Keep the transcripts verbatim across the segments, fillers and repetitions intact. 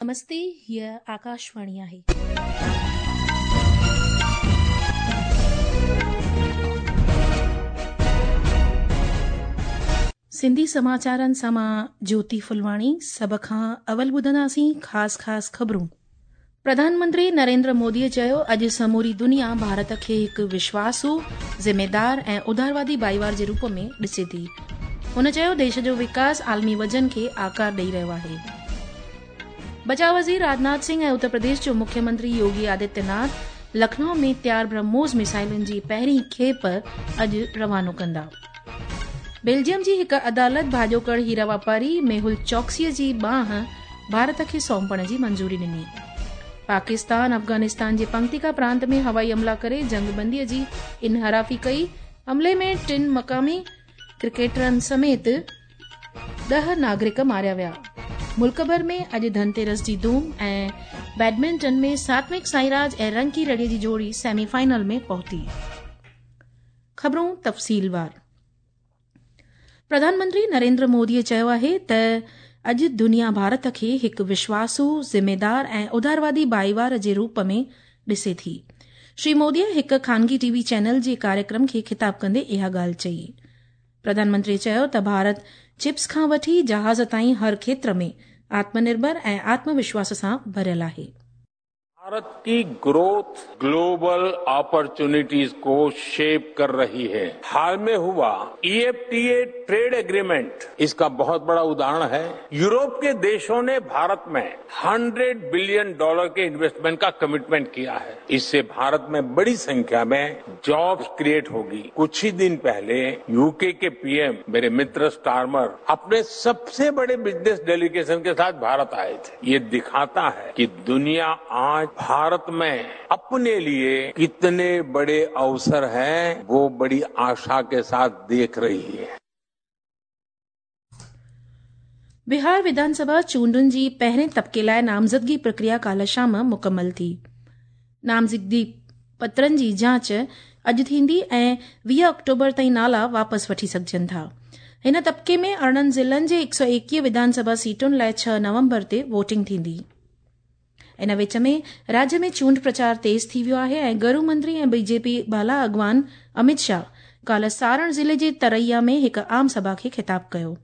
नमस्ते, हीअ आकाशवाणी आहे। सिंधी समाचारनि सां मां ज्योति फुलवाणी। सभ खां अवल ॿुधंदासीं ख़ासि ख़ासि ख़बरूं। प्रधानमंत्री नरेंद्र मोदीअ चयो, अॼु समूरी दुनिया भारत खे हिकु विश्वासू, ज़िम्मेदार ऐं उदारवादी भाईवार जे रूप में ॾिसे थी। हुन चयो, देश जो विकास आलमी वजन खे आकार ॾेई रहियो आहे। बचाव वज़ीर राजनाथ सिंह ऐं उत्तर प्रदेश जो मुख्यमंत्री योगी आदित्यनाथ लखनऊ में तयार ब्रह्मोस मिसाइलुनि जी पहिरीं खेप अॼु रवानो कंदा। बेल्जियम जी हिकु अदालत भाॼोकड़ हीरा वापारी मेहुल चौकसीअ जी बांह भारत खे सौंपण जी मंजूरी ॾिनी। पाकिस्तान अफ़गानिस्तान जे पंक्तिका प्रांत में हवाई हमला करे जंगबंदीअ जी इनहराफ़ी कई। हमले में टिनि मक़ामी क्रिकेटरनि समेत ॾह नागरिक मारिया विया। मुल्क भर में अॼु धनतेरस जी धूम ऐं बैडमिंटन में सात्विक साईराज ऐं रंकी रेड्डी जी जोड़ी सेमीफाइनल में पहुती। ख़बरूं तफ़सीलवार। प्रधानमंत्री नरेंद्र मोदीअ चयो आहे त अॼु दुनिया भारत खे हिकु विश्वासू, ज़िम्मेदार ऐं उदारवादी भाईवार जे रूप में ॾिसे थी। श्री मोदीअ हिकु खानगी टीवी चैनल जे कार्यक्रम खे ख़िताब कंदे इहा ॻाल्हि चई। प्रधानमंत्री चयो त भारत चिप्स खां वठी जहाज़ ताईं हर क्षेत्र में आत्मनिर्भर ऐं आत्मविश्वास सां भरियल आहे। भारत की ग्रोथ ग्लोबल अपॉर्चुनिटीज को शेप कर रही है। हाल में हुआ ई F T A trade agreement इसका बहुत बड़ा उदाहरण है। यूरोप के देशों ने भारत में सौ बिलियन डॉलर के इन्वेस्टमेंट का कमिटमेंट किया है। इससे भारत में बड़ी संख्या में जॉब्स क्रिएट होगी। कुछ ही दिन पहले you के के पी एम मेरे मित्र स्टारमर अपने सबसे बड़े बिजनेस डेलीगेशन के साथ भारत आए थे। ये दिखाता है कि दुनिया आज भारत में अपने लिए कितने बड़े अवसर हैं, वो बड़ी आशा के साथ देख रही है। बिहार विधानसभा चूंडुनि जी पहिरें तबिके लाइ नामज़दगी प्रक्रिया काल्ह शाम मुकमल थी। नामज़दगी पत्रनि जी जांच अॼु थींदी ऐं वीह अक्टूबर ताईं नाला वापसि वठी सघजनि था। हिन तबिके में अरिड़हं ज़िलनि जे हिकु सौ एकवीह विधानसभा सीटुनि लाइ छह नवंबर ते वोटिंग थींदी। इन विच में राज्य में चूंड प्रचार तेज़ थी वियो आहे ऐं गृह मंत्री ऐं बीजेपी बाला अॻवान अमित शाह काल्ह सारण ज़िले जे तरैया में हिकु आम सभा खे ख़िताब कयो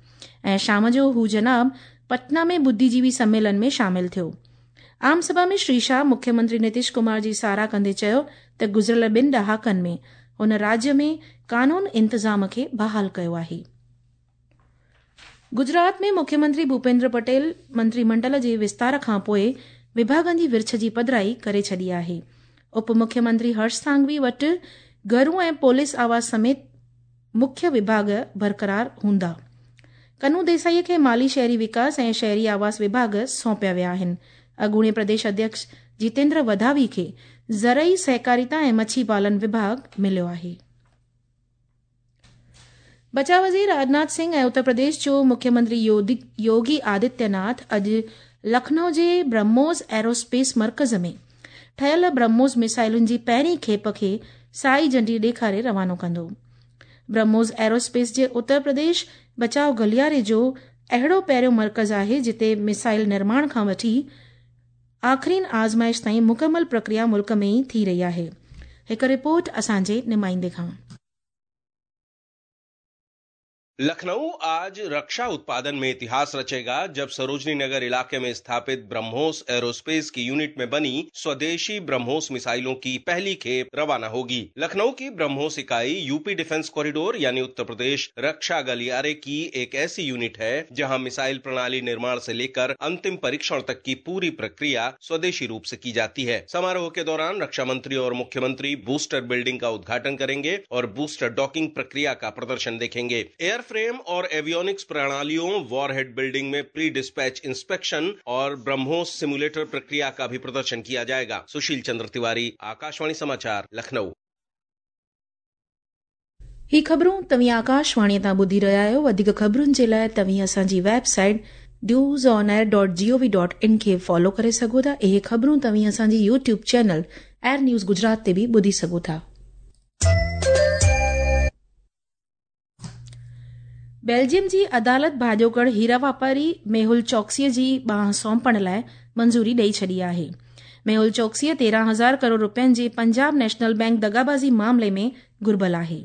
ऐं शाम जो हू जनाब पटना में बुद्धिजीवी सम्मेलन में शामिल थियो। आम सभा में श्री शाह मुख्यमंत्री नीतीश कुमार जी साराह कंदे चयो त गुज़िरियल ॿिनि ॾहाकनि में हुन राज्य में कानून इंतज़ाम खे बहाल कयो आहे। गुजरात में मुख्यमंत्री भूपेंद्र पटेल मंत्रीमंडल जे विस्तार खां पोइ विभागनि जी विर्छ जी पधराई करे छॾी आहे। उप मुख्यमंत्री हर्ष सांघवी वटि घरू ऐं पुलिस आवास समेत मुख्य विभाग बरक़रार हूंदा। कनू देसाईअ खे माली शहरी विकास ऐं शहरी आवास विभाग सौंपिया विया आहिनि। अॻूणे प्रदेश अध्यक्ष जितेंद्र वधावी खे ज़रई सहकारिता ऐं मच्छी पालन विभाग मिलियो आहे। बचाव वज़ीर राजनाथ सिंह ऐं उत्तर प्रदेश जो मुख्यमंत्री योगी आदित्यनाथ अॼु लखनऊ जे ब्रह्मोस एरोस्पेस मर्कज़ में ठहियल ब्रह्मोस मिसाइलुनि जी पहिरीं खेप खे साई झंडी ॾेखारे रवानो कंदो। ब्रह्मोस एरोस्पेस जे उत्तर प्रदेश बचाव गलियारे जो अहिड़ो पहिरियों मर्कज़ आहे जिते मिसाइल निर्माण खां वठी आख़िरीन आज़माइश ताईं मुकमल प्रक्रिया मुल्क में ई थी रही आहे। हिकु रिपोर्ट असांजे नुमाइंदे खां। लखनऊ आज रक्षा उत्पादन में इतिहास रचेगा जब सरोजनी नगर इलाके में स्थापित ब्रह्मोस एरोस्पेस की यूनिट में बनी स्वदेशी ब्रह्मोस मिसाइलों की पहली खेप रवाना होगी। लखनऊ की ब्रह्मोस इकाई यू पी डिफेंस कॉरिडोर यानी उत्तर प्रदेश रक्षा गलियारे की एक ऐसी यूनिट है जहां मिसाइल प्रणाली निर्माण से लेकर अंतिम परीक्षण तक की पूरी प्रक्रिया स्वदेशी रूप से की जाती है। समारोह के दौरान रक्षा मंत्री और मुख्यमंत्री बूस्टर बिल्डिंग का उद्घाटन करेंगे और बूस्टर डॉकिंग प्रक्रिया का प्रदर्शन देखेंगे। एयर फ्रेम और एवियोनिक्स प्रणालियों, वॉरहेड बिल्डिंग में प्री डिस्पैच इंस्पेक्शन और ब्रह्मोस सिमुलेटर प्रक्रिया का भी प्रदर्शन किया जाएगा। सुशील चंद्र तिवारी, आकाशवाणी समाचार, लखनऊ। ही ख़बरूं तव्हीं आकाशवाणी तां ॿुधी रहिया आहियो। वधीक ख़बरुनि जे लाइ तव्हीं असांजी website news on air dot G O V dot in खे फॉलो करे सघो था। इहे ख़बरूं तव्हीं असांजी YouTube channel air news Gujarat ते बि ॿुधी सघो था। बेल्जियम जी अदालत भाॼोकड़ हीरा वापारी मेहुल चौकसीअ जी बांह सौंपण लाइ मंज़ूरी ॾेई छॾी आहे। मेहुल चौकसीअ तेरहं हज़ार करोड़ रुपयनि जे पंजाब नेशनल बैंक दगाबाज़ी मामले में घुर्बल आहे।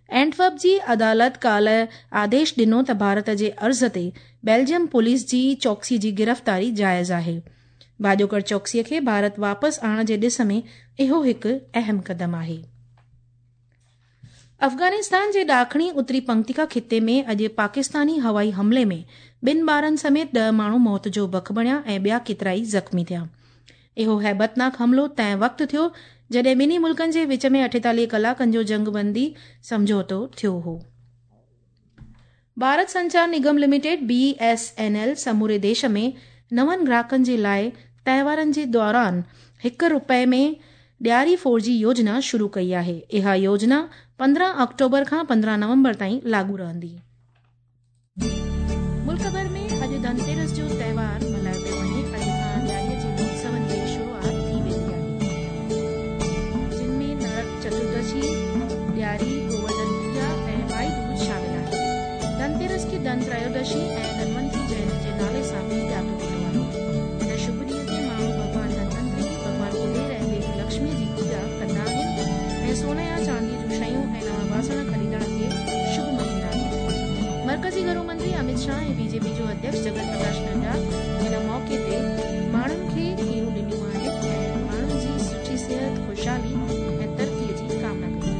एंटवर्प जी अदालत काल्ह आदेश ॾिनो त भारत जे अर्ज़ ते बेल्जियम पुलिस जी चौकसी जी गिरफ़्तारी जाइज़ आहे। भाॼोकड़ चौकसीअ खे भारत वापसि आणण जे ॾिस में इहो हिकु अहम क़दम आहे। अफ़ग़ानिस्तान जे ॾाखणी उत्तरी पंक्तिका ख़िते में अॼु पाकिस्तानी हवाई हमले में ॿिनि ॿारनि समेत ॾह माण्हू मौत जो बक बणिया ऐं ॿिया केतिरा ई ज़ख़्मी थिया। इहो हैबतनाक हमलो तंहिं वक़्तु थियो जॾहिं ॿिन्ही मुल्कनि जे विच में अठेतालीह कलाकनि जो जंगबंदी सम्झौतो थियो हो। Bharat Sanchar Nigam limited B S N L समूरे देश में नवनि ग्राहकनि जे लाइ त्योहारनि जे दौरान हिकु रुपए में ॾियारी फोर जी योजना शुरू कई आहे। इहा योजना पंद्रहं अक्टूबर खां पंद्रहं नवंबर ताईं लागू रहंदी। मुल्क भर में अॼु धनतेरस जो त्योहार मल्हायो पियो वञे। अॼु खां ॾियारीअ जे उत्सवनि जी शुरूआत थी वेंदी आहे, जिन में नरक चतुर्दशी, ॾियारी, गोवर्धन पूजा ऐं भाई दूज शामिल आहे। धनतेरस खे धन त्रयोदशी ऐं धनवंतरी जयंती जे नाले सां बि ॼातो वेंदो आहे। हिन शुभ ॾींहं ते माण्हू भॻवान धनवंतरी, भॻवान कुबेर ऐं देवी लक्ष्मी जी पूजा कंदा आहिनि ऐं सोन या चांदीअ जूं शयूं ऐं नवां बासण ख़रीदण खे शुभ मञींदा आहिनि। मरकज़ी घरू मंत्री अमित शाह ऐं बीजेपी जो अध्यक्ष जगत प्रकाश नड्डा हिन मौक़े ते माण्हुनि खे खीरूं ॾिनियूं आहिनि ऐं माण्हुनि जी सुठी सिहत, ख़ुशहाली ऐं तरक़ीअ जी कामना कई आहे।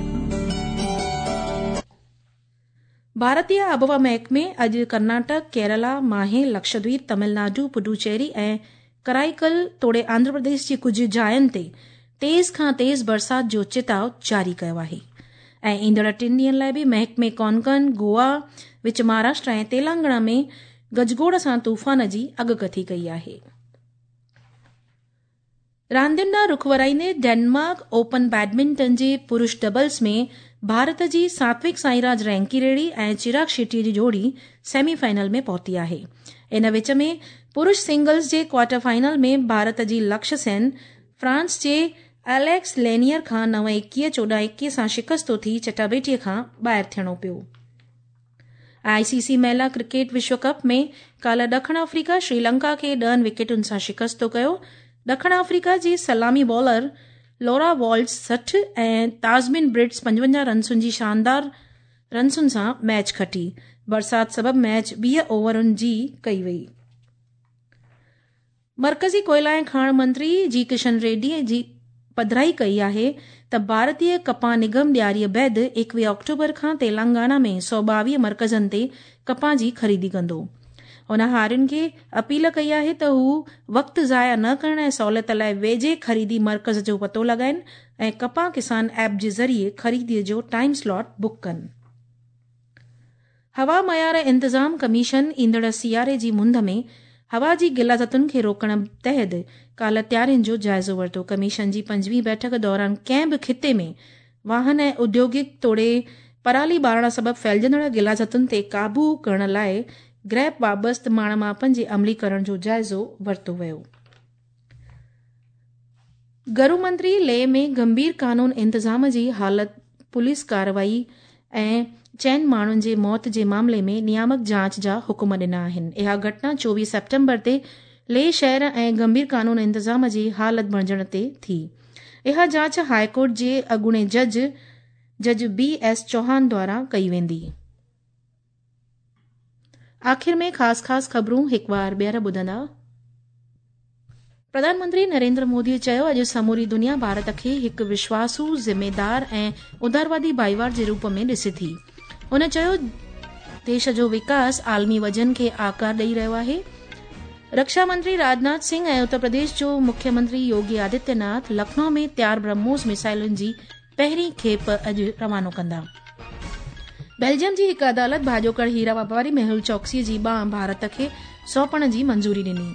भारतीय आबहवा महकमे अॼु कर्नाटक, केरला, माहे, लक्षद्वीप, तमिलनाडु, पुडुचेरी ऐं कराईकल तोड़े आंध्र प्रदेश जी कुझु जायुनि ते तेज़ खां तेज़ बरसाति जो चिताव जारी कयो आहे ऐं ईंदड़ टिनि ॾींहंनि लाइ बि महकमे कोंकण, गोवा, विच महाराष्ट्र ऐं तेलंगाना में गजगोड़ सां तूफ़ान जी अॻकथी कई आहे। रांदियुनि ॾांहुं रुख वराईंदे डेनमार्क ओपन बैडमिंटन जे पुरुष डबल्स में भारत जी सात्विक साईराज रैंकी रेड्डी ऐं चिराग शेट्टी जी जोड़ी सेमीफाइनल में पहुती आहे। इन विच में पुरुष सिंगल्स जे क्वार्टर फाइनल में भारत जी लक्ष्य सेन फ्रांस जे एलेक्स लेनियर खां नव एकवीह चोॾहं एकवीह सां शिकस्तो थी चटाबेटीअ खां ॿाहिरि थियणो पियो। आईसीसी महिला क्रिकेट विश्व कप में काल्ह ॾखिण अफ्रीका श्रीलंका खे ॾहनि विकेटुनि सां शिकस्तो कयो। ॾखिण अफ्रीका जी सलामी बॉलर लॉरा वॉल्ट्स सठि ऐं ताज़मिन ब्रिट्स पंजवंजाह रनसुनि जी शानदार रनसुनि सां मैच खटी। बरसाति सबबि मैच वीह ओवरनि जी कई वई। मरकज़ी कोयला ऐं खाण मंत्री जी किशन रेड्डी जी पधराई कई आहे त भारतीय कपाह निगम ॾियारीअ बैदि एकवीह अक्टूबर खां तेलंगाना में सौ ॿावीह मर्कज़नि ते कपाह जी ख़रीदी कंदो। हुन हारियुनि खे अपील कई आहे त हू वक़्तु ज़ाया न करण ऐं सहूलियत लाइ वेझे ख़रीदी मर्कज़ जो पतो लॻाइनि ऐं कपाह किसान ऐप जे ज़रिए ख़रीदीअ जो टाइम स्लॉट बुक कनि। हवा मयार इंतज़ाम कमीशन ईंदड़ सियारे जी मुंध में हवा जी गिलाज़तुनि खे रोकण तहत काल्ह तयारियुनि जो जाइज़ो वरितो। कमीशन जी पंजवीं बैठक दौरान कंहिं बि ख़िते में वाहन ऐं औद्योगिक तोड़े पराली ॿारण सबबि फैलिजंदड़ गिलाज़तुनि ते क़ाबू करण लाइ ग्रैप वाबस्त माण मापनि जे अमलीकरण जो जाइज़ो वरितो वियो। घरू मंत्री लेह में गंभीर कानून इंतज़ाम जी हालत, पुलिस कार्रवाई ऐं चइनि माण्हुनि जे मौत जे मामले में नियामक जांच जा हुकुम ॾिना आहिनि। इहा घटना चोवीह सेप्टेम्बर ते लेह शहर ऐं गंभीर कानून इंतज़ाम जी हालत बणिजण ते थी। इहा जांच हाईकोर्ट जे अॻूणे जज जज बी एस चौहान द्वारा कई वेंदी। आख़िर में ख़ासि ख़ासि ख़बरूं हिकु बार ॿीहर ॿुधंदा। प्रधानमंत्री नरेंद्र मोदी चयो अॼु समूरी दुनिया भारत खे हिकु विश्वासू, ज़िम्मेदार ऐं उदारवादी भाईवार जे रूप में ॾिसे थी। हुन चयो देश जो विकास आलमी वजन खे आकार ॾेई रहियो आहे। रक्षा मंत्री राजनाथ सिंह ऐं उत्तर प्रदेश जो मुख्यमंत्री योगी आदित्यनाथ लखनऊ में तयार ब्रह्मोस मिसाइलुनि जी पहिरीं खेप अॼु रवानो कंदा। बेल्जियम जी हिकु अदालत भाॼोकड़ हीरा वापारी मेहुल चौकसी जी ॿांह भारत खे सौंपण जी मंज़ूरी ॾिनी।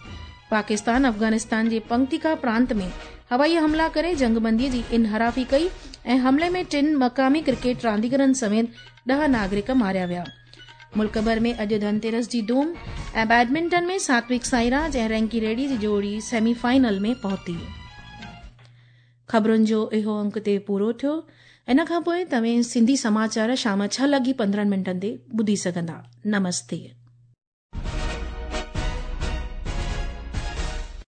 पाकिस्तान अफ़ग़ानिस्तान जे पंक्तिका प्रांत में हवाई हमला करे जंगबंदीअ जी इनहराफ़ी कई ऐं हमले में टिनि मक़ामी क्रिकेट रांदीगरनि समेत ॾह नागरिक मारिया विया। मुल्क भर में अॼु धनतेरस जी धूम ऐं बैडमिंटन में सात्विक साईराज ऐं रैंकी रेड्डी जी जोड़ी सेमीफाइनल में पहुती। ख़बरुनि जो इहो अंक ते पूरो थियो। इन खां पोइ तव्हां सिंधी समाचार शाम छह लॻी पंद्रहं मिंटनि ते ॿुधी सघंदा। नमस्ते।